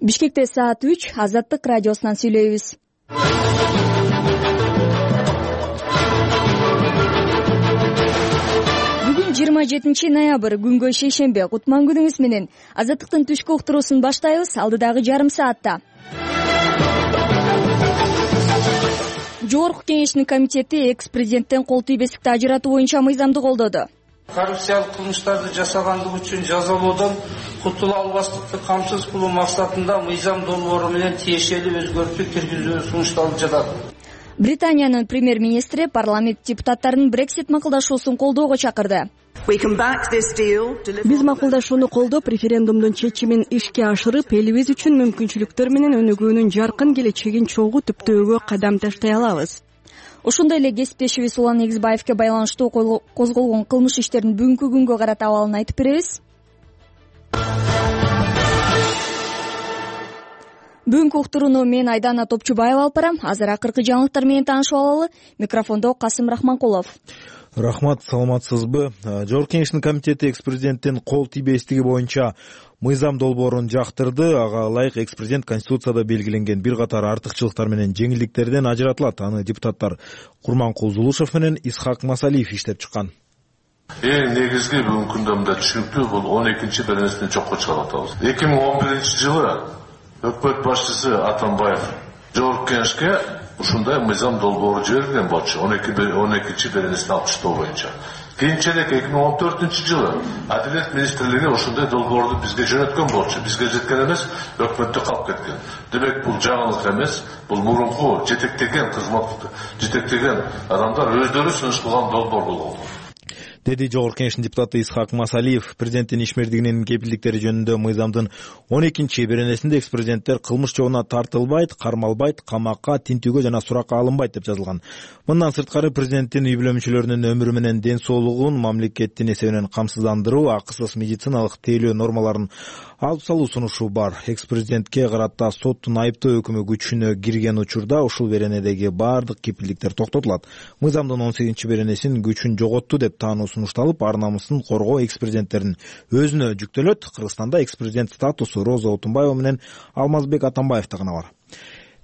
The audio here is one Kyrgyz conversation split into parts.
Бишкекте саат 3 Азаттык радиосунан сүйлөйбүз. Бүгүн 27 ноябрь, күнгө шейшембе. Кутман күнүңүз менен Азаттыктын түшкү уктуруусун баштайбыз. Алдыдагы жарым саатта Жогорку Кеңештин комитети экс-президенттен кол тийбестикти ажыратуу боюнча мыйзамды колдоду. Коррупциялык кылмыштарды жасагандыгы үчүн жазалоодон кутула албастыкты камсыз кылуу максатында мыйзам долбоору менен тиешелүү өзгөртүү киргизүү сунушталып жатат. Британиянын премьер-министри парламент депутаттарын Brexit макулдашуусун колдоого чакырды. Биз макулдашууну колдоп, референдумдун чечимин ишке ашырып, элибиз үчүн мүмкүнчүлүктөр менен өнүгүүнүн жаркын келечегин чогуу түптөөгө кадам таштай алабыз. Ошондой эле кесиптешибиз Улан Эгизбаевке байланыштуу козголгон кылмыш иштерин бүгүнкү күнгө карата абалын айтып беребиз. Бүгүнкү уктурууну мен Айдана Топчубаева алып барам. Азыр акыркы жаңылыктар менен таанышып алалы. Микрофондо Касым Рахманкулов. Рахмат, саламатсызбы? Жогорку Кеңештин комитети экс-президенттин кол тийбестиги боюнча мыйзам долбоорун жактырды. Ага ылайык экс-президент Конституцияда белгиленген бир катар артыкчылыктар менен жеңилдиктерден ажыратылат. Аны депутаттар Курманкул Зулушев менен Исхак Масалиев иштеп чыккан. Эң негизги бүгүнкү күндө түшүнүктүү бул 12-чи беренесинен чокко чыгарып атабыз. 2011-жылы өкмөт башчысы Атамбаев Жогорку Кеңешке ушундай мыйзам долбоору жиберилген болчу 12-чи беренесин алкыштоо боюнча. Кийинчерээк 2014-жылы Адилет министрлиги ошондой долбоорду бизге жөнөткөн болчу. Бизге жеткен эмес, өкмөттө калып кеткен. Демек бул жаңылык эмес, бул мурунку жетектеген адамдар өздөрү сунуш кылган долбоор болгон, деди Жогорку Кеңештин депутаты Исхак Масалиев. Президенттин ишмердигинин кепилдиктери жөнүндө мыйзамдын 12-чи беренесинде экс-президенттер кылмыш жолуна тартылбайт, кармалбайт, камакка, тинтүүгө жана суракка алынбайт деп жазылган. Мындан сырткары президенттин үй бүлө мүчөлөрүнүн өмүрү менен ден соолугун мамлекеттин эсебинен камсыздандыруу, акысыз медициналык тейлөө нормаларын алып салуу сунушу бар. Экс-президентке карата соттун айыптоо өкүмү күчүнө кирген учурда ушул беренедеги бардык кепилдиктер токтотулат. Мыйзамдын 18-чи беренесин күчүн жоготту деп таануу сунушталып, ар намысын коргоо экс-президенттердин өзүнө жүктөлөт. Кыргызстанда экс-президент статусу Роза Отунбаева менен Алмазбек Атамбаевда гана бар.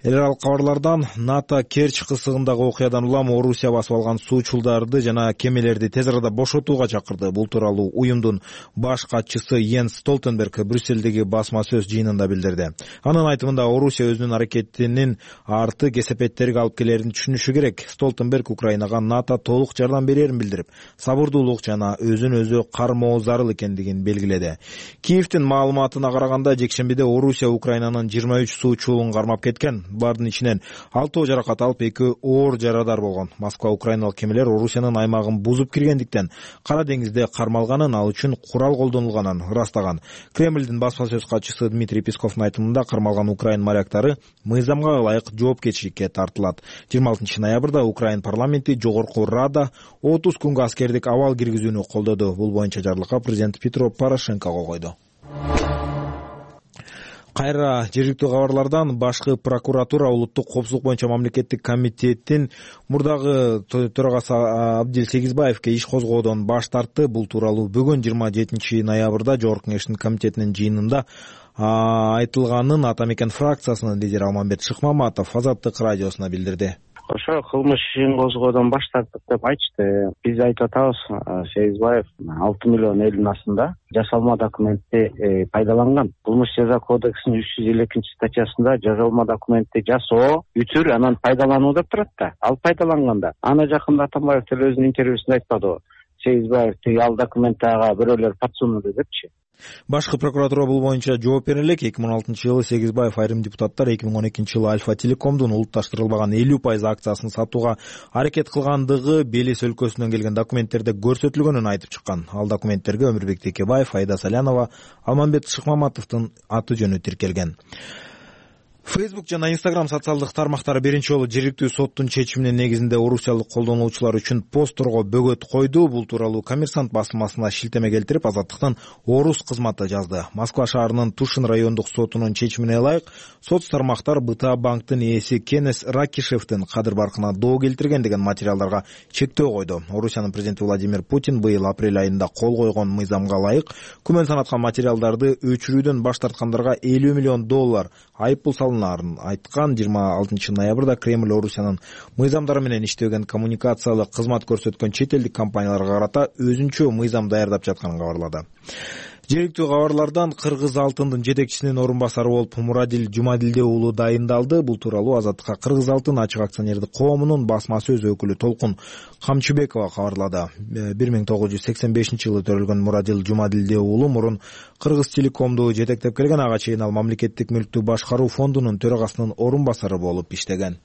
Эл аралык кабарлардан НАТО Керчь кысыгындагы окуядан улам Орусия басып алган суучулдарды жана кемелерди тез арада бошотууга чакырды. Бул тууралуу уюмдун баш катчысы Йенс Столтенберг Брюссельдеги басма сөз жыйынында билдирди. Анын айтымында Орусия өзүнүн аракетинин арты кесепеттерге алып келерин түшүнүшү керек. Столтенберг Украинага НАТО толук жардам берерин билдирип, сабырдуулук жана өзүн өзү кармоо зарыл экендигин белгиледи. Киевдин маалыматына караганда, жекшембиде Орусия Украинанын 23 суучулун кармап кеткен. Бардын ичинен 6 жаракат алып, 2 оор жарадар болгон. Москва украиналык кемелер Орусиянын аймагын бузуп киргендиктен Кара деңизде кармалганын, ал үчүн курал колдонулганын ырастаган. Кремлдин басма сөз катчысы Дмитрий Песковдун айтымында, кармалган украин моряктары мыйзамга ылайык жоопкерчиликке тартылат. 26 ноябрда Украин парламенти Жогорку Рада 30 күнгө аскердик абал киргизүүнү колдоду. Бул боюнча жарлыкка президент Петро Порошенко кол койду. Кайра жергиликтүү кабарлардан башкы прокуратура улуттук коопсуздук боюнча мамлекеттик комитеттин мурдагы төрагасы Абдил Сегизбаевке иш козгоодон баш тартты. Бул тууралуу бүгүн 27 ноябрда Жогорку Кеңештин комитетинин жыйынында айтылганын Ата Мекен фракциясынын лидери Алмамбет Шыкмаматов Азаттык радиосуна билдирди. Ошо кылмыш ишин козгоодон баш тарттык деп айтышты. Биз айтып атабыз, Сегизбаев 6 миллион элдин астында жасалма документти пайдаланган. Кылмыш жаза кодексинин 352 статьясында жасалма документти жасоо, үтүр, анан пайдалануу деп турат да. Ал пайдаланганда. Аны жакында Атамбаев деле өзүнүн интервьюсунда айтпадыбы? Сегизбаев ал документтага бирөөлөр подсунулду депчи. Башкы прокуратура бул боюнча жооп бере элек. 2016-жылы Сегизбаев айрым депутаттар 2012-жылы Альфа Телекомдун улутташтырылбаган 50% акциясын сатууга аракет кылгандыгы Белес өлкөсүнөн келген документтерде көрсөтүлгөнүн айтып чыккан. Ал документтерге Өмүрбек Текебаев, Айда Салянова, Алмамбет Шыкмаматовдун аты жөнү тиркелген. Facebook жана Instagram социалдык тармактары биринчи жолу жергиликтүү соттун чечиминин негизинде орусиялык колдонуучулар үчүн постторго бөгөт койду. Бул тууралуу Коммерсант басмасына шилтеме келтирип, Азаттыктын Орус кызматы жазды. Москва шаарынын Тушин райондук сотунун чечимине ылайык, соц тармактар БТА банктын ээси Кенес Ракишевдин кадыр баркына доо келтирген деген материалдарга чектөө койду. Орусиянын президенти Владимир Путин быйыл апрель айында кол койгон мыйзамга ылайык күмөн санаткан материалдарды өчүрүүдөн баш тарткандарга $50 миллион айыппул салынарын айткан. 26 ноябрда Кремль Орусиянын мыйзамдары менен иштебеген коммуникациялык кызмат көрсөткөн чет элдик компанияларга карата өзүнчө мыйзам даярдап жатканын кабарлады. Жергиликтүү кабарлардан Кыргыз алтындын жетекчисинин орун басары болуп Мурадил Жумадилде уулу дайындалды. Бул тууралуу Азаттыкка Кыргыз алтын ачык акционердик коомунун басма сөз өкүлү Толкун Камчыбекова кабарлады. 1985-жылы төрөлгөн Мурадил Жумадилде уулу мурун Кыргыз Телекомду жетектеп келген, ага чейин ал мамлекеттик мүлктү башкаруу фондунун төрагасынын орун басары болуп иштеген.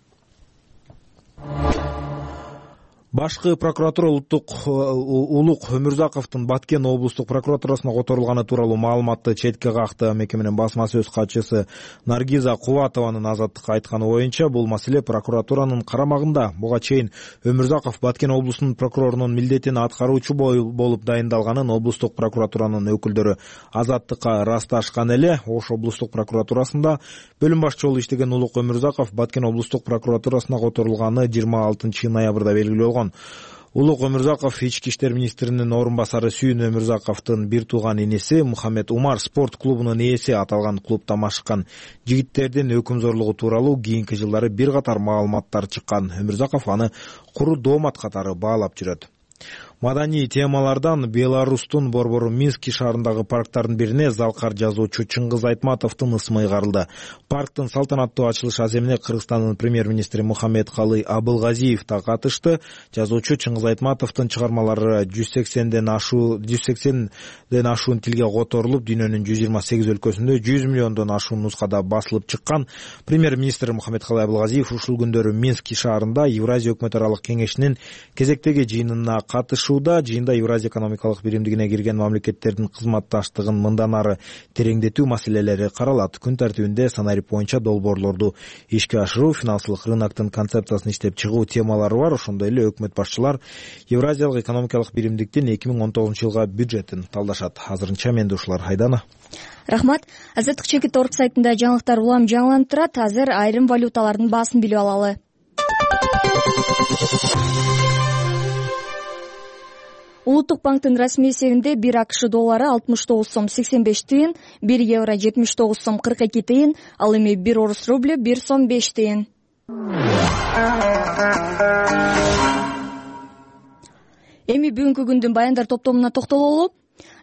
Башкы прокуратура Улук Өмүрзаковдун Баткен облустук прокуратурасына которулганы тууралуу маалыматты четке какты. Мекеменин басма сөз катчысы Наргиза Кубатованын Азаттыкка айтканы боюнча, бул маселе прокуратуранын карамагында. Буга чейин Өмүрзаков Баткен облусунун прокурорунун милдетин аткаруучу болуп дайындалганын облустук прокуратуранын өкүлдөрү Азаттыкка ырасташкан эле. Ош облустук прокуратурасында бөлүм башчы болуп иштеген Улук Өмүрзаков Баткен облустук прокуратурасына которулганы 26 ноябрда белгилүү болгон. Улук Өмүрзаков ички иштер министринин орун басары Сүйүн Өмүрзаковдун бир тууган иниси Мухаммед Умар спорт клубунун ээси. Аталган клубда машыккан жигиттердин өкүм зорлугу тууралуу кийинки жылдары бир катар маалыматтар чыккан. Өмүрзаков аны куру доомат катары баалап жүрөт. Маданий темалардан Беларустун борбору Минск шаарындагы парктардын бирине залкар жазуучу Чыңгыз Айтматовдун ысмы ыйгарылды. Парктын салтанаттуу ачылыш аземине Кыргызстандын премьер-министри Мухаммедкалый Абылгазиев да катышты. Жазуучу Чыңгыз Айтматовдун чыгармалары 180ден ашуун тилге которулуп, дүйнөнүн 128 өлкөсүндө 100 миллиондон ашуун нускада басылып чыккан. Премьер-министр Мухаммедкалый Абылгазиев ушул күндөрү Минск шаарында Евразия өкмөт аралык кеңешинин кезектеги жыйынына катышууда. Жыйында Евразия экономикалык биримдигине кирген мамлекеттердин кызматташтыгын мындан ары тереңдетүү маселелери каралат. Күн тартибинде сценарий боюнча долбоорлорду ишке ашыруу, финансылык рыноктун концепциясын иштеп чыгуу темалары бар. Ошондой эле өкмөт башчылар Евразиялык экономикалык биримдиктин 2019-жылга бюджетин талдашат. Азырынча менде ушулар. Айдана. Рахмат. Азаттык чекит орг сайтында жаңылыктар улам жаңыланып турат. Азыр айрым валюталардын баасын билип алалы. Улуттук банктын расмий эсебинде 1 АКШ доллары 69 сом 85 тыйын, 1 евро 79 сом 42 тыйын, ал эми 1 орус рублю 1 сом 5 тыйын. Эми бүгүнкү күндүн баяндар топтомуна токтололу.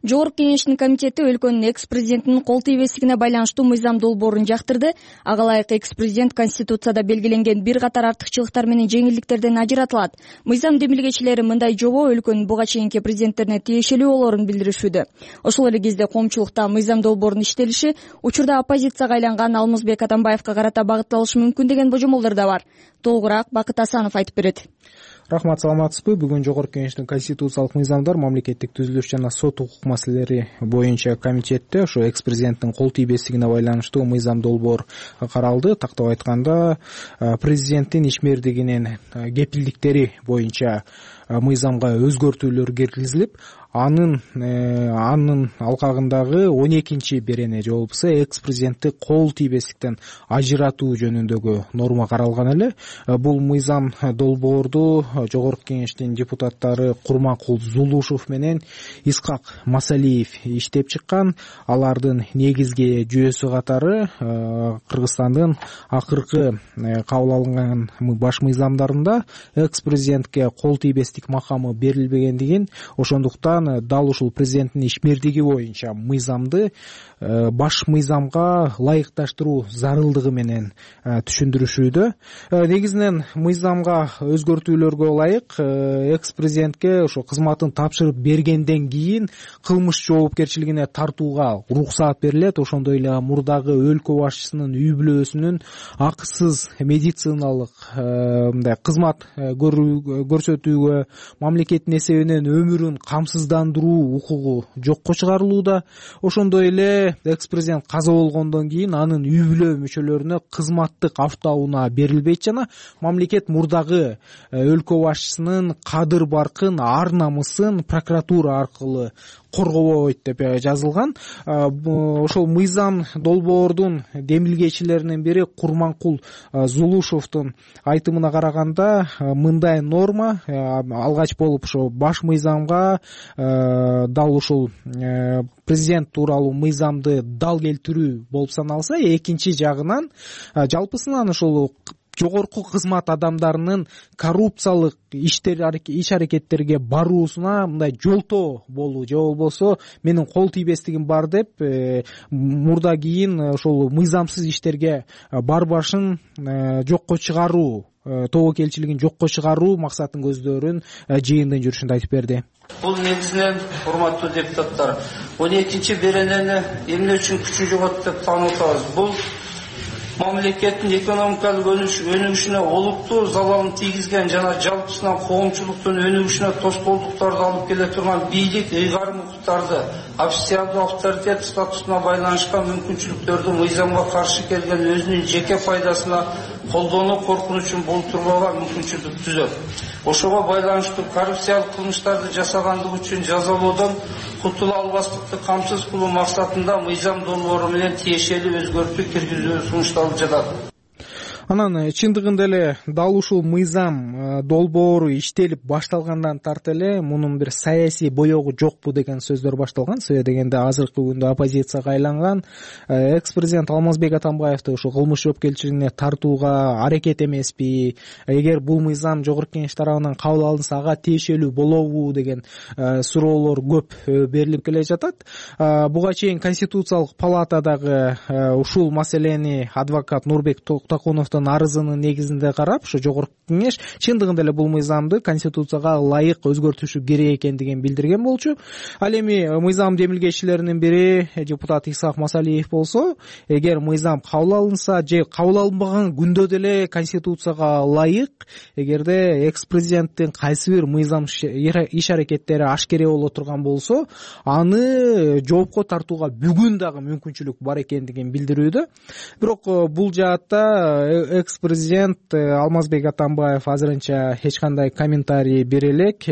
Жогорку кеңештин комитети өлкөнүн экс-президентинин кол тийбестигине байланыштуу мыйзам долбоорун жактырды. Ага ылайык экс-президент Конституцияда белгиленген бир катар артыкчылыктар менен жеңилдиктерден ажыратылат. Мыйзам демилгечилери мындай жобо өлкөнүн буга чейинки президенттерине тиешелүү болоорун билдиришүүдө. Ошол эле кезде коомчулукта мыйзам долбоорунун иштелиши учурда оппозицияга айланган Алмазбек Атамбаевка карата багытталышы мүмкүн деген божомолдор да бар. Толугураак Бакыт Асанов айтып берет. Рахмат, саламатсызбы? Бүгүн Жогорку кеңештин конституциялык мыйзамдар, мамлекеттик түзүлүш жана сот укук маселелери боюнча комитетте ошо экс-президенттин кол тийбестигине байланыштуу мыйзам долбоор каралды. Тактап айтканда, президенттин ишмердигинин кепилдиктери боюнча мыйзамга өзгөртүүлөр киргизилип, анын алкагындагы 12-чи берене же болбосо экс-президентти кол тийбестиктен ажыратуу жөнүндөгү норма каралган эле. Бул мыйзам долбоорду Жогорку кеңештин депутаттары Курманкул Зулушев менен Исхак Масалиев иштеп чыккан. Алардын негизги жүйөсү катары Кыргызстандын акыркы кабыл алынган баш мыйзамдарында экс-президентке кол тийбестик макамы берилбегендигин, ошондуктан дал ушул президенттин ишмердиги боюнча мыйзамды баш мыйзамга ылайыкташтыруу зарылдыгы менен түшүндүрүшүүдө. Негизинен мыйзамга өзгөртүүлөргө ылайык экс-президентке ошо кызматын тапшырып бергенден кийин кылмыш жоопкерчилигине тартууга уруксаат берилет. Ошондой эле мурдагы өлкө башчысынын үй бүлөсүнүн акысыз медициналык мындай кызмат көрсөтүүгө, мамлекеттин эсебинен өмүрүн камсыздандырууга ыйзамдандыруу укугу жокко чыгарылууда. Ошондой эле экс-президент каза болгондон кийин анын үй бүлө мүчөлөрүнө кызматтык автоунаа берилбейт жана мамлекет мурдагы өлкө башчысынын кадыр баркын, ар намысын прокуратура аркылуу коргобойт деп жазылган. Ошол мыйзам долбоордун демилгечилеринин бири Курманкул Зулушевдун айтымына караганда мындай норма алгач болуп ошо баш мыйзамга дал ушул президент тууралуу мыйзамды дал келтирүү болуп саналса, экинчи жагынан жалпысынан ошол жогорку кызмат адамдарынын коррупциялык иш аракеттерге баруусуна мындай жолтоо болуу же болбосо менин кол тийбестигим бар деп мурда кийин ошол мыйзамсыз иштерге барбашын жокко чыгаруу, тобокелчилигин жокко чыгаруу максатын көздөрүн жыйындын жүрүшүндө айтып берди. Бул негизинен, урматтуу депутаттар, 12-беренени эмне үчүн күчү жогот деп таанып атабыз. Бул мамлекеттин экономикалык өнүгүшүнө олуттуу залалын тийгизген жана жалпысынан коомчулуктун өнүгүшүнө тоскоолдуктарды алып келе турган бийлик ыйгарым укуктарды, официалдуу авторитет статусуна байланышкан мүмкүнчүлүктөрдү мыйзамга каршы келген өзүнүн жеке пайдасына колдонуу коркунучун болтурууга мүмкүнчүлүк түзөт. Ошого байланыштуу коррупциялык кылмыштарды жасагандыгы үчүн жазалоодон кутула албастыкты камсыз кылуу максатында мыйзам долбоору менен тиешелүү өзгөртүү киргизүү сунушталып жатат. Анан чындыгында эле дал ушул мыйзам долбоору иштелип башталгандан тарта эле мунун бир саясий боёгу жокпу деген сөздөр башталган. Себеби дегенде азыркы күндө оппозицияга айланган экс-президент Алмазбек Атамбаевди ушул кылмыш жоопкерчилигине тартууга аракет эмеспи, эгер бул мыйзам жогорку кеңеш тарабынан кабыл алынса ага тиешелүү болобу деген суроолор көп берилип келе жатат. Буга чейин Конституциялык палатадагы ушул маселени адвокат Нурбек Токтокуновдун арызынын негизинде карап, ошо жогорку кеңеш чындыгында эле бул мыйзамды конституцияга ылайык өзгөртүшү керек экендигин билдирген болчу. Ал эми мыйзам демилгечилеринин бири депутат Исхак Масалиев болсо, эгер мыйзам кабыл алынса же кабыл алынбаган күндө деле конституцияга ылайык, эгерде экс-президенттин кайсы бир мыйзам иш аракеттери ашкере боло турган болсо, аны жоопко тартууга бүгүн дагы мүмкүнчүлүк бар экендигин билдирүүдө. Бирок бул жаатта экс-президент Алмазбек Атамбаев азырынча эч кандай комментарий бере элек.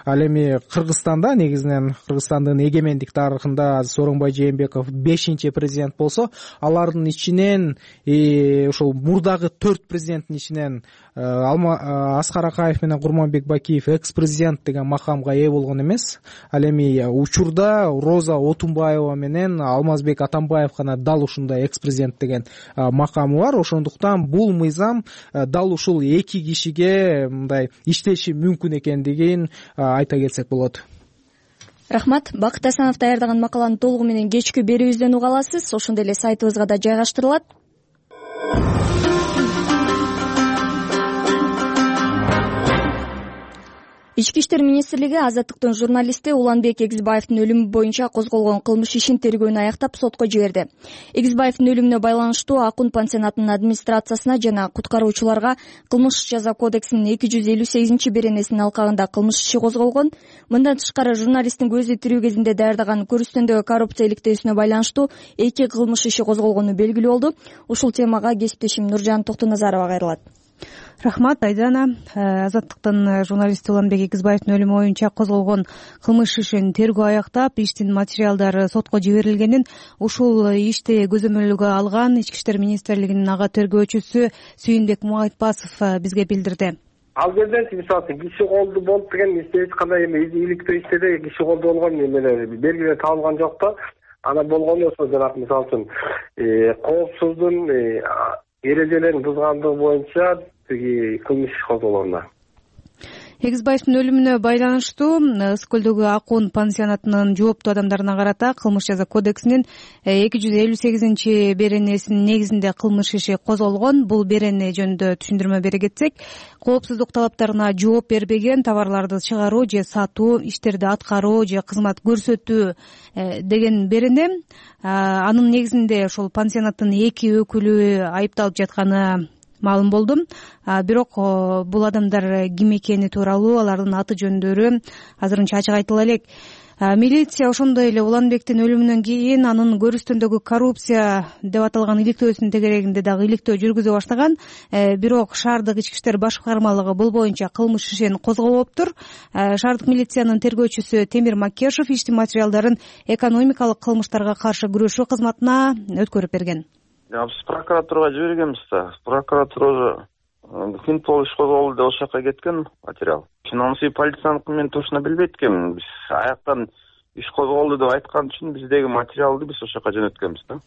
Ал эми Кыргызстанда, негизинен Кыргызстандын эгемендик тарыхында Сооронбай Жээнбеков 5-чи президент болсо, алардын ичинен ошол мурдагы 4 президенттин ичинен Аскар Акаев менен Курманбек Бакиев экс-президент деген макамга ээ болгон эмес. Ал эми учурда Роза Отунбаева менен Алмазбек Атамбаев гана дал ушундай экс-президент деген макамы бар. Ошондуктан бул мыйзам дал ушул эки кишиге мындай иштеши мүмкүн экендигин айта кетсек болот. Рахмат. Бакыт Асанов даярдаган макаланы толугу менен кечки берүүбүздөн уга аласыз. Ошондой эле сайтыбызга да жайгаштырылат. Ички иштер министрлиги Азаттыктын журналисти Уланбек Эгизбаевдин өлүмү боюнча козголгон кылмыш ишин тергөөнү аяктап сотко жиберди. Эгизбаевдин өлүмүнө байланыштуу Акун пансионатынын администрациясына жана куткаруучуларга кылмыш жаза кодексинин 258-беренесинин алкагында кылмыш иши козголгон. Мындан тышкары журналисттин көзү тирүү кезинде даярдаган көрүстөндөгү коррупция иликтөөсүнө байланыштуу 2 кылмыш иши козголгону белгилүү болду. Ушул темага кесиптешим Нуржан Токтоназарова кайрылат. Рахмат, Айдана. Азаттыктын журналисти Уланбек Эгизбаевдин өлүмү боюнча козголгон кылмыш ишин тергөө аяктап, иштин материалдары сотко жиберилгенин ушул ишти көзөмөлгө алган Ички иштер министрлигинин ага тергөөчүсү Сүйүнбек Муайтбасов бизге билдирди. Ал жерден мисалы киши колду болуп деген эч кандай иликтөө иштеде киши колду болгон эмелер белгилер табылган жок да. Ана болгон болсо жанагы мисалы коопсуздун эрежелерин бузгандыгы боюнча кылмыш козголгон. Эгизбаевдин өлүмүнө байланыштуу Ысык көлдөгү Акун пансионатынын жооптуу адамдарына карата кылмыш жаза кодексинин 258-беренесинин негизинде кылмыш иши козголгон. Бул берене жөнүндө түшүндүрмө бере кетсек, коопсуздук талаптарына жооп бербеген товарларды чыгаруу же сатуу, иштерди аткаруу же кызмат көрсөтүү деген берене. Анын негизинде ошол пансионаттын 2 өкүлү айыпталып жатканы маалым болду. Бирок бул адамдар ким экени тууралуу, алардын аты жөндөрү азырынча ачык айтыла элек. Милиция ошондой эле Уланбектин өлүмүнөн кийин анын көрүстөндөгү коррупция деп аталган иликтөөсүнүн тегерегинде дагы иликтөө жүргүзө баштаган. Бирок шаардык ички иштер башкармалыгы бул боюнча кылмыш ишин козгобоптур. Шаардык милициянын тергөөчүсү Темир Макешев иштин материалдарын экономикалык кылмыштарга каршы күрөшүү кызматына өткөрүп берген. Биз прокуратурага жибергенбиз да. Прокуратура Финпол иш козголду деп ошол жака кеткен материал. Финансы полицияныкы мен точно билбейт экенмин. Биз аяктан иш козголду деп айткан үчүн биздеги материалды биз ошол жака жөнөткөнбүз да.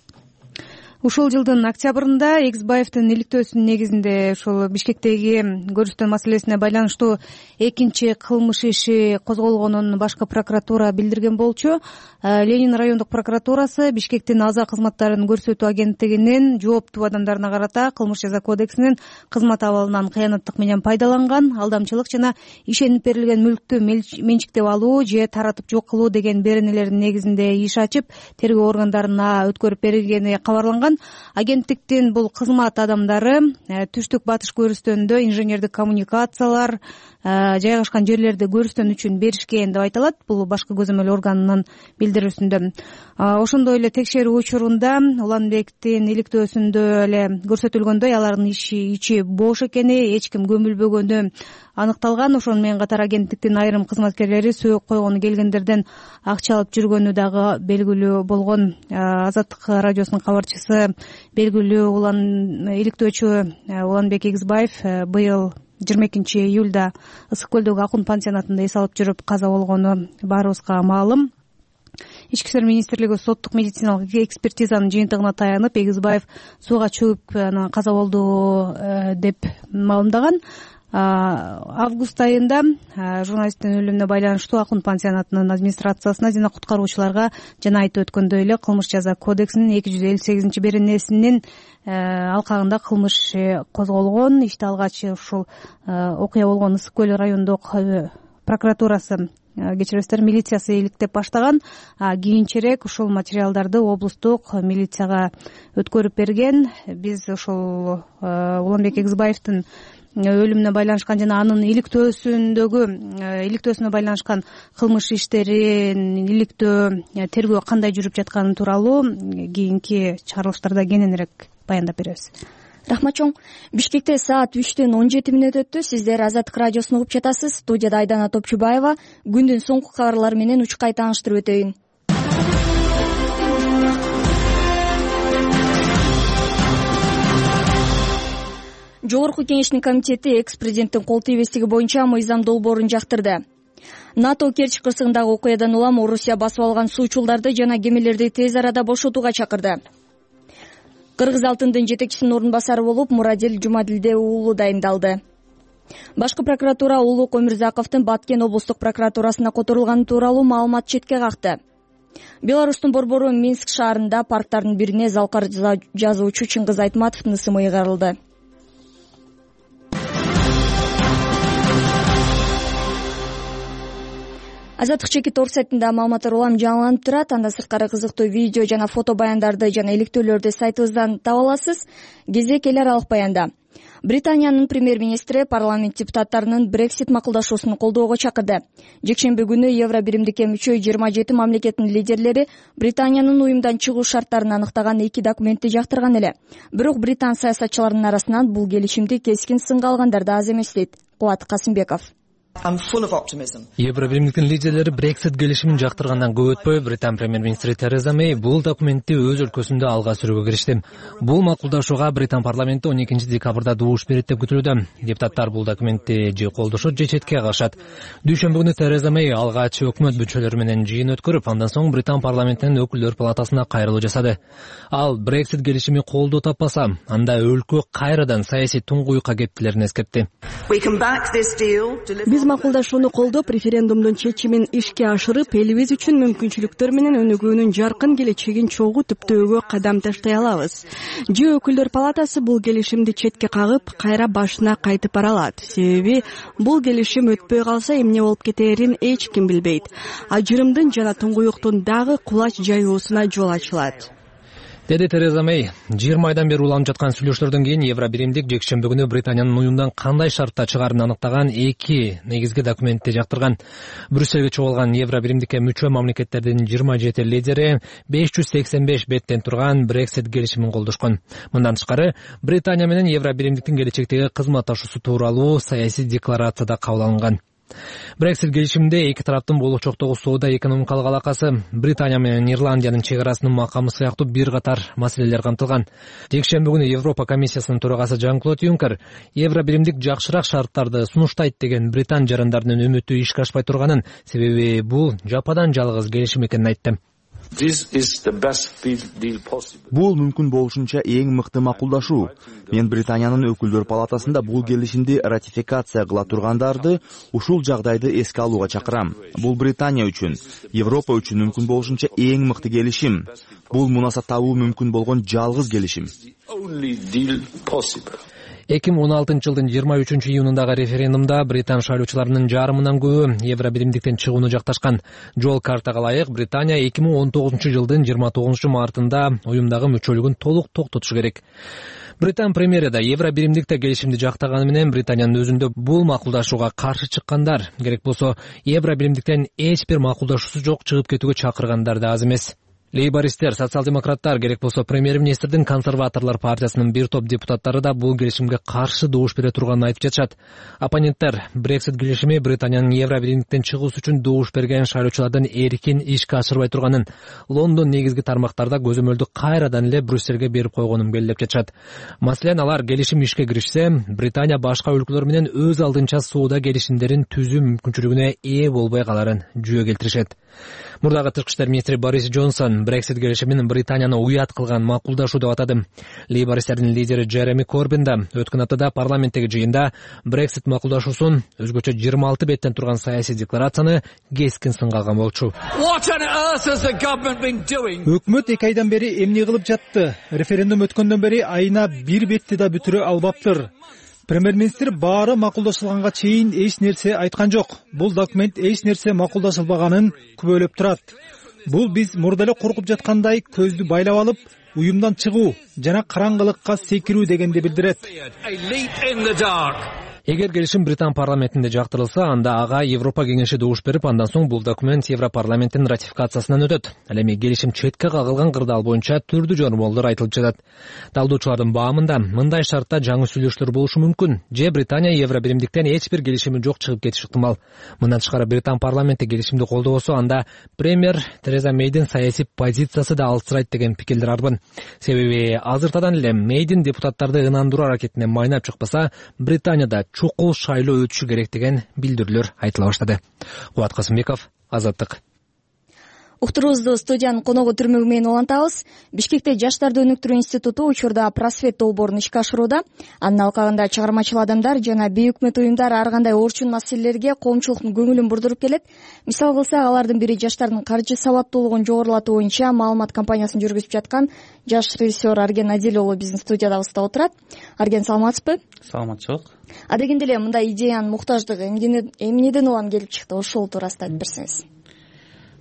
Ушул жылдын октябрында Эксбаевдин иликтөөсүнүн негизинде ушул Бишкектеги көрүстөн маселесине байланыштуу экинчи кылмыш иши козголгонун башкы прокуратура билдирген болчу. Ленин райондук прокуратурасы Бишкектин аза кызматтарын көрсөтүү агенттигинин жооптуу адамдарына карата кылмыш жаза кодексинин кызмат абалынан кыянаттык менен пайдаланган, алдамчылык жана ишенип берилген мүлктү менчиктеп алуу же таратып жок кылуу деген беренелердин негизинде иш ачып, тергөө органдарына өткөрүп берилгени кабарланган. Агенттиктин бул кызмат адамдары түштүк батыш көрүстөндө инженердик коммуникациялар жайгашкан жерлерди көрүстөн үчүн беришкен деп айтылат. Бул башкы көзөмөл органынын билдирүүсүндө. Ошондой эле текшерүү учурунда Уланбектин иликтөөсүндө эле көрсөтүлгөндөй алардын ичи бош экени, эч ким көмүлбөгөнү аныкталган. Ошону менен катар агенттиктин айрым кызматкерлери сөөк койгону келгендерден акча алып жүргөнү дагы белгилүү болгон. Азаттык радиосунун кабарчысы белгилүү иликтөөчү Уланбек Эксбаев быйыл 22-июлда Ысык көлдөгү Акун пансионатында эс алып жүрүп каза болгону баарыбызга маалым. Ички иштер министрлиги соттук медициналык экспертизанын жыйынтыгына таянып, Эксбаев сууга чөгүп анан каза болду деп маалымдаган. Август айында журналисттин өлүмүнө байланыштуу Акун пансионатынын администрациясына жана куткаруучуларга жана айтып өткөндөй эле кылмыш жаза кодексинин 258 беренесинин алкагында кылмыш козголгон. Иште алгач ушул окуя болгон Ысык көл райондук прокуратурасы, кечиресиздер, милициясы иликтеп баштаган. Кийинчерээк ушул материалдарды облустук милицияга өткөрүп берген. Биз ушул Уланбек Эксбаевдин өлүмүнө байланышкан жана анын иликтөөсүнө байланышкан кылмыш иштерин иликтөө, тергөө кандай жүрүп жатканы тууралуу кийинки чыгарылыштарда кененирээк баяндап беребиз. Рахмат чоң. Бишкекте саат 3:17 өттү. Сиздер Азаттык радиосун угуп жатасыз. Студияда Айдана Топчубаева. Күндүн соңку кабарлары менен учкай тааныштырып өтөйүн. Жогорку кеңештин комитети экс-президенттин кол тийбестиги боюнча мыйзам долбоорун жактырды. НАТО Керчь кырсыгындагы окуядан улам Орусия басып алган суучулдарды жана кемелерди тез арада бошотууга чакырды. Кыргыз алтындын жетекчисинин орун басары болуп Мурадил Жумадилде уулу дайындалды. Башкы прокуратура Улук Өмүрзаковдун Баткен облустук прокуратурасына которулганы тууралуу маалымат четке какты. Беларустун борбору Минск шаарында парктардын бирине залкар жазуучу Чыңгыз Айтматовдун ысымы ыйгарылды. Азаттык чеки тор сайтында маалыматтар улам жаңыланып турат. Анда сырткары кызыктуу видео жана фото баяндарды жана иликтөөлөрдү сайтыбыздан таба аласыз. Кезек эл аралык баянда. Британиянын премьер-министри парламент депутаттарынын Brexit макулдашуусун колдоого чакырды. Жекшемби күнү Евро биримдикке мүчө 27 мамлекеттин лидерлери Британиянын уюмдан чыгуу шарттарын аныктаган 2 документти жактырган эле. Бирок британ саясатчыларынын арасынан бул келишимди кескин сынга алгандар да аз эмес дейт Кубат Касымбеков. Евро биримдиктин лидерлери Brexit келишимин жактыргандан көп өтпөй Британ премьер-министри Тереза Мэй бул документти өз өлкөсүндө алга сүрүүгө киришти. Бул макулдашууга Британ парламенти 12 декабрда добуш берет деп күтүлүүдө. Депутаттар бул документти же колдошот, же четке кагышат. Дүйшөмбү күнү Тереза Мэй алгач өкмөт мүчөлөрү менен жыйын өткөрүп, андан соң Британ парламентинин өкүлдөр палатасына кайрылуу жасады. Ал Brexit келишими колдоо таппаса, анда өлкө кайрадан саясий туңгуюкка кептилерин эскертти. Биз макулдашууну колдоп, референдумдун чечимин ишке ашырып, элибиз үчүн мүмкүнчүлүктөр менен өнүгүүнүн жаркын келечегин чогуу түптөөгө кадам таштай алабыз. Же өкүлдөр палатасы бул келишимди четке кагып, кайра башына кайтып бара алат. Себеби бул келишим өтпөй калса эмне болуп кетерин эч ким билбейт. Ажырымдын жана туңгуюктун дагы кулач жаюусуна жол ачылат. деди Тереза Мэй. 20 айдан бери уланып жаткан сүйлөшүүлөрдөн кийин Евробиримдик жекшемби күнү Британиянын уюмдан кандай шартта чыгаарын аныктаган 2 негизги документти жактырган. Брюссельге чогулган Евробиримдикке мүчө мамлекеттердин 27 лидери 585 беттен турган Brexit келишимин колдошкон. Мындан тышкары Британия менен Евробиримдиктин келечектеги кызматташуусу тууралуу саясий декларацияда кабыл алынган. Brexit келишиминде эки тараптын болочоктогу соода экономикалык алакасы, Британия менен Ирландиянын чек арасынын макамы сыяктуу бир катар маселелер камтылган. Жекшемби күнү Европа комиссиясынын төрагасы Жан-Клод Юнкер Евробиримдик жакшыраак шарттарды сунуштайт деген британ жарандарынын үмүтү ишке ашпай турганын, себеби бул жападан жалгыз келишим экенин айтты. Бул мүмкүн болушунча эң мыкты макулдашуу. Мен Британиянын өкүлдөр палатасында бул келишимди ратификация кыла тургандарды ушул жагдайды эске алууга чакырам. Бул Британия үчүн, Европа үчүн мүмкүн болушунча эң мыкты келишим. Бул мунаса табуу мүмкүн болгон жалгыз келишим. 2016 жылдын 23 июнундагы референдумда британ шайлоочуларынын жарымынан көбү Евробиримдиктен чыгууну жакташкан. Жол картага ылайык Британия 2019 жылдын 29 мартында уюмдагы мүчөлүгүн толук токтотушу керек. Британ премьери да Евробиримдикте келишимди жактаганы менен Британиянын өзүндө бул макулдашууга каршы чыккандар, керек болсо Евробиримдиктен эч бир макулдашуусу жок чыгып кетүүгө чакыргандар да аз эмес. Лейбористер, социал-демократтар, керек болсо премьер-министрдин консерваторлор партиясынын бир топ депутаттары да бул келишимге каршы добуш бере турганын айтып жатышат. Оппоненттер Brexit келишими Британиянын Евробиримдиктен чыгуусу үчүн добуш берген шайлоочулардын эркин ишке ашырбай турганын, Лондон негизги тармактарда көзөмөлдү кайрадан эле Брюссельге берип койгонун белгилеп жатышат. Маселен, алар келишим ишке киришсе, Британия башка өлкөлөр менен өз алдынча соода келишимдерин түзүү мүмкүнчүлүгүнө ээ болбой каларын жүйө келтиришет. Мурдагы тышкы иштер министри Борис Джонсон Brexit келишимин Британияны уят кылган макулдашуу деп атады. Лейбористтердин лидери Джереми Корбин да өткөн аптада парламенттеги жыйында Brexit макулдашуусун, өзгөчө 26 беттен турган саясий декларацияны кескин сынга алган болчу. Өкмөт 2 айдан бери эмне кылып жатты? Референдум өткөндөн бери айына 1 бетти да бүтүрө албаптыр. Премьер-министр баары макулдашылганга чейин эч нерсе айткан жок. Бул документ эч нерсе макулдашылбаганын күбөлөп турат. Бул биз мурда эле коркуп жаткандай көздү байлап алып, уюмдан чыгуу жана караңгылыкка секирүү дегенди билдирет. Эгер келишим Британ парламентинде жактырылса, анда ага Европа кеңеши добуш берип, андан соң бул документ Европарламенттин ратификациясынан өтөт. Ал эми келишим четке кагылган кырдаал боюнча түрдүү жормолдор айтылып жатат. Талдоочулардын баамында мындай шартта жаңы сүйлөшүүлөр болушу мүмкүн. Же Британия Евробиримдиктен эч бир келишими жок чыгып кетиши ыктымал. Мындан тышкары Британ парламенти келишимди колдобосо, анда премьер Тереза Мейдин саясий позициясы да алсырайт деген пикирлер арбын. Себеби азыртадан эле Мейдин депутаттарды ынандыруу аракетине майнап чыкпаса, Британияда чукул шайлоо өтүшү керек деген билдирүүлөр айтыла баштады. Кубат Касымбеков, Азаттык. Уктуруубузду студиянын коногу түрмөгү менен улантабыз. Бишкекте Жаштарды өнүктүрүү институту учурда просвет долбоорун ишке ашырууда. Анын алкагында чыгармачыл адамдар жана бейөкмөт уюмдар ар кандай орчун маселелерге коомчулуктун көңүлүн бурдуруп келет. Мисал кылсак, алардын бири жаштардын каржы сабаттуулугун жогорулатуу боюнча маалымат кампаниясын жүргүзүп жаткан жаш режиссер Арген Адил уулу биздин студиядабызда отурат. Арген, саламатсызбы? Саламатчылык. Адегенде эле мындай идеянын муктаждыгы эмнеден улам келип чыкты? Ошол туурасында айтып берсеңиз.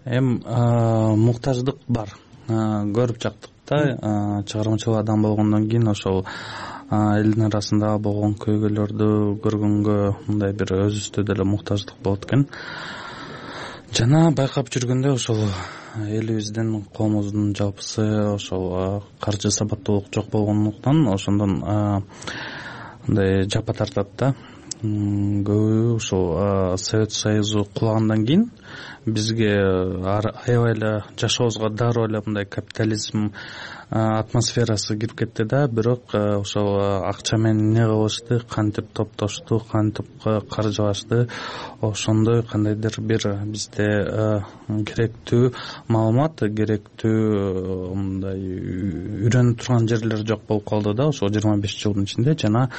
Муктаждык бар. Көрүп жактык да, чыгармачыл адам болгондон кийин ошол элдин арасында болгон көйгөйлөрдү көргөнгө мындай бир өзүбүздө деле муктаждык болот экен. Жана байкап жүргөндө ошол элибиздин, коомубуздун жалпысы ошол каржы сабаттуулук жок болгондуктан ошондон мындай жапа тартат да. Көбү ушул Совет Союзу кулагандан кийин бизге аябай эле жашообузга дароо эле мындай капитализм атмосферасы кирип кетти да, бирок ошол акча менен эмне кылышты, кантип топтошту, кантип каржылашты, ошондой кандайдыр бир бизде керектүү маалымат, керектүү мындай үйрөнүп турган жерлер жок болуп калды да ошол 25 жылдын ичинде. Жана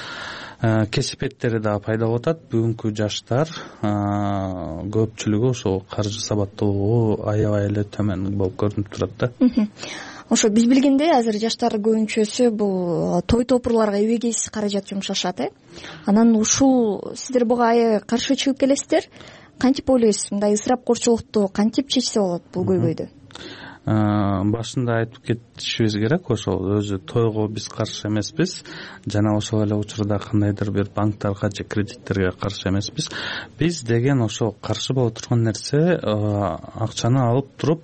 кесипеттери да пайда болуп атат. Бүгүнкү жаштар көпчүлүгү ошол каржы сабаттуулугу аябай эле төмөн болуп көрүнүп турат да. Ошо биз билгендей азыр жаштар көбүнчөсү бул той топурларга эбегейсиз каражат жумшашат, Анан ушул сиздер буга аябай каршы чыгып келесиздер. Кантип ойлойсуз, мындай ысырапкорчулукту кантип чечсе болот бул көйгөйдү? башында айтып кетишибиз керек, ошол өзү тойго биз каршы эмеспиз жана ошол эле учурда кандайдыр бир банктарга же кредиттерге каршы эмеспиз. Биз деген ошол каршы боло турган нерсе акчаны алып туруп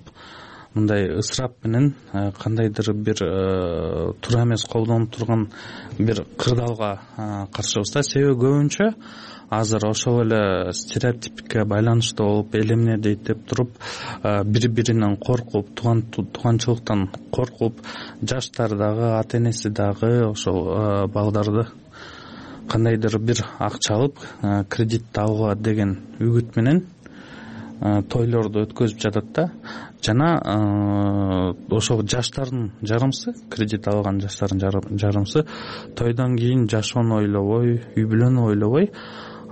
мындай ысырап менен кандайдыр бир туура эмес колдонуп турган бир кырдаалга каршыбыз да. Себеби көбүнчө азыр ошол эле стереотипке байланыштуу болуп, эл эмне дейт деп туруп бири биринен коркуп, тууганчылыктан коркуп, жаштар дагы, ата энеси дагы ошол балдарды кандайдыр бир акча алып кредит алууга деген үгүт менен тойлорду өткөзүп жатат да. Жана ошол жаштардын жарымсы, кредит алган жаштардын жарымсы тойдон кийин жашоону ойлобой, үй бүлөнү ойлобой,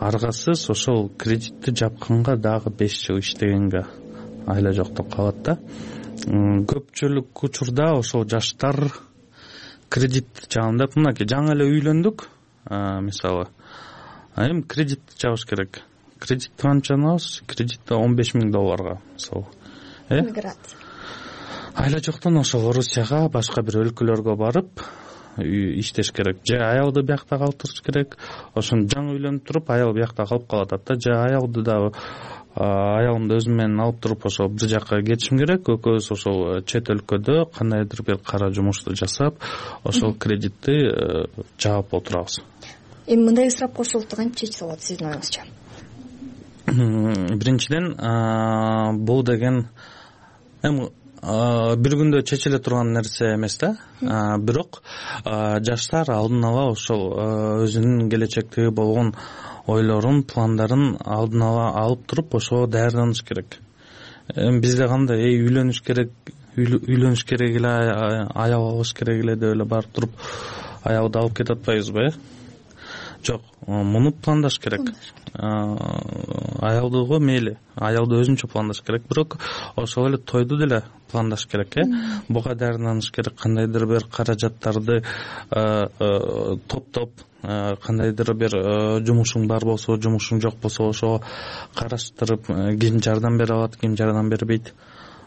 аргасыз ошол кредитти жапканга дагы 5 жыл иштегенге айла жоктоп калат да. Көпчүлүк учурда ошол жаштар кредит жабам, мынакей жаңы эле үйлөндүк, мисалы, эми кредит жабыш керек. Кредит канчаны алабыз? Кредит $15,000 мисалы. Миграция. Айла жоктон ошол Орусияга, башка бир өлкөлөргө барып иштеш керек. Же аялды биякта калтырыш керек. Ошону жаңы үйлөнүп туруп, аял биякта калып калат да. Же аялды дагы аялымды өзүм менен алып туруп ошол бир жака кетишим керек. Экөөбүз ошол чет өлкөдө кандайдыр бир кара жумушту жасап, ошол кредитти жаап отурабыз. Эми мындай ысырап кошулукту кантип чечсе болот сиздин оюңузча? Биринчиден, бул деген эми бир күндө чечиле турган нерсе эмес да. Бирок жаштар алдын ала ошол өзүнүн келечектеги болгон ойлорун, пландарын алдын ала алып туруп ошого даярданыш керек. Бизде кандай үйлөнүш керек эле, аял алыш керек эле деп эле барып туруп аялды алып кете атпайбызбы? Жок, муну пландаш керек. Аялдыго мейли, аялды өзүнчө пландаш керек, бирок ошол эле тойду деле пландаш керек. Буга даярданыш керек, кандайдыр бир каражаттарды топтоп, кандайдыр бир жумушуң бар болсо, жумушуң жок болсо ошого караштырып, ким жардам бере алат, ким жардам бербейт.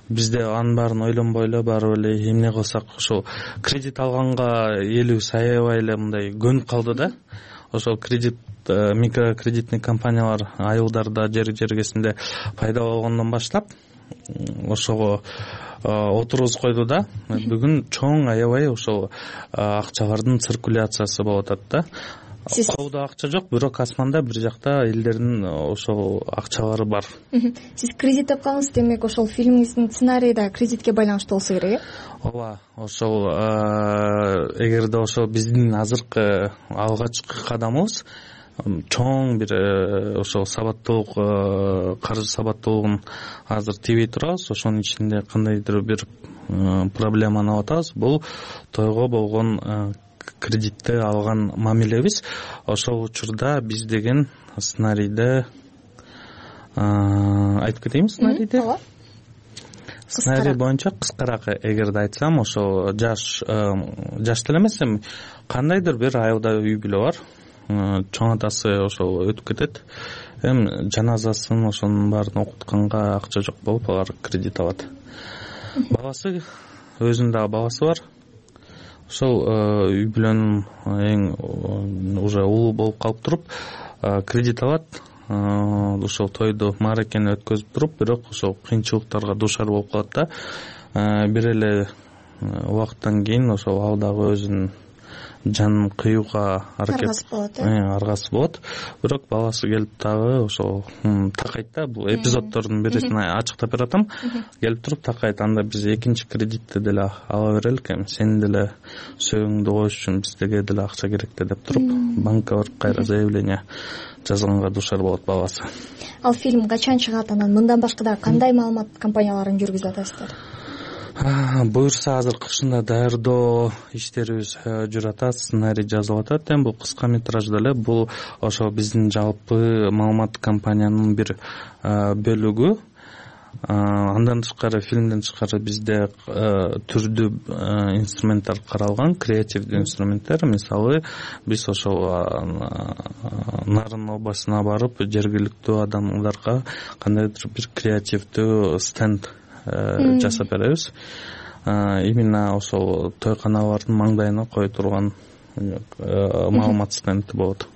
Бизде анын баарын ойлонбой эле барып эле эмне кылсак, ошол кредит алганга элибиз аябай эле мындай көнүп калды да. Ошол микрокредитный компаниялар айылдарда, жер жергесинде пайда болгондон баштап ошого отургузуп койду да. Бүгүн чоң аябай ошол акчалардын циркуляциясы болуп атат да. Колдо акча жок, бирок асманда бир жакта элдердин ошол акчалары бар. Сиз кредит тапканыңыз, демек ошол фильмиңиздин сценарийи да кредитке байланыштуу болсо керек, Ооба, ошол эгерде ошол биздин азыркы алгачкы кадамыбыз чоң бир ошол сабаттуулук, каржы сабаттуулугун азыр тийбей турабыз. Ошонун ичинде кандайдыр бир проблеманы алып атабыз. Бул тойго болгон кредитти алган мамилебиз. Ошол учурда биз деген сценарийде айтып кетейинби? Сценарий боюнча кыскараак эгерде айтсам, ошол жаш деле эмес, эми кандайдыр бир айылда үй бүлө бар. Чоң атасы ошол өтүп кетет. Эми жаназасын ошонун баарын окутканга акча жок болуп, алар кредит алат. Баласы, өзүнүн дагы баласы бар. Ошол үй бүлөнүн эң уже улуу болуп калып туруп, кредит алат. Ошол тойду, мааракени өткөзүп туруп, бирок ошол кыйынчылыктарга дуушар болуп калат да. Бир эле убакыттан кийин ошол ал дагы өзүнүн жанын кыюуга аргасы болот. Бирок баласы келип дагы ошол такайт да. Бул эпизоддордун бирисин ачыктап бератам. Келип туруп такайт, анда биз экинчи кредитти деле ала берелик, эми сени деле сөөгүңдү коюш үчүн бизге деле акча керек деп туруп, банкка барып кайра заявление жазганга дуушар болот баласы. Ал фильм качан чыгат, анан мындан башка дагы кандай маалымат кампанияларын жүргүзүп атасыздар? Буюрса азыр кышында даярдоо иштерибиз жүрүп атат, сценарий жазылып атат. Эми бул кыска метражда эле, бул ошо биздин жалпы маалымат кампаниянын бир бөлүгү. Андан тышкары, фильмден тышкары бизде түрдүү инструменттер каралган, креативдүү инструменттер. Мисалы, биз ошол Нарын областына барып, жергиликтүү адамдарга кандайдыр бир креативдүү стенд жасап беребиз. Именно ошол тойканалардын маңдайына кое турган маалымат стенди болот.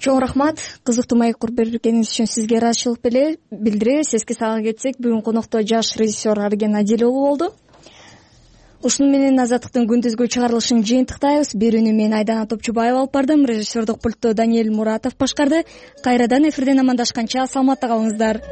Чоң рахмат, кызыктуу маек куруп бергениңиз үчүн сизге ыраазычылык билдиребиз. Эске сала кетсек, бүгүн конокто жаш режиссер Арген Адилов болду. Ушуну менен Азаттыктын күндүзгү чыгарылышын жыйынтыктайбыз. Берүүнү мен Айдана Топчубаева алып бардым, режиссердук пультту Даниэль Муратов башкарды. Кайрадан эфирден амандашканча саламатта калыңыздар.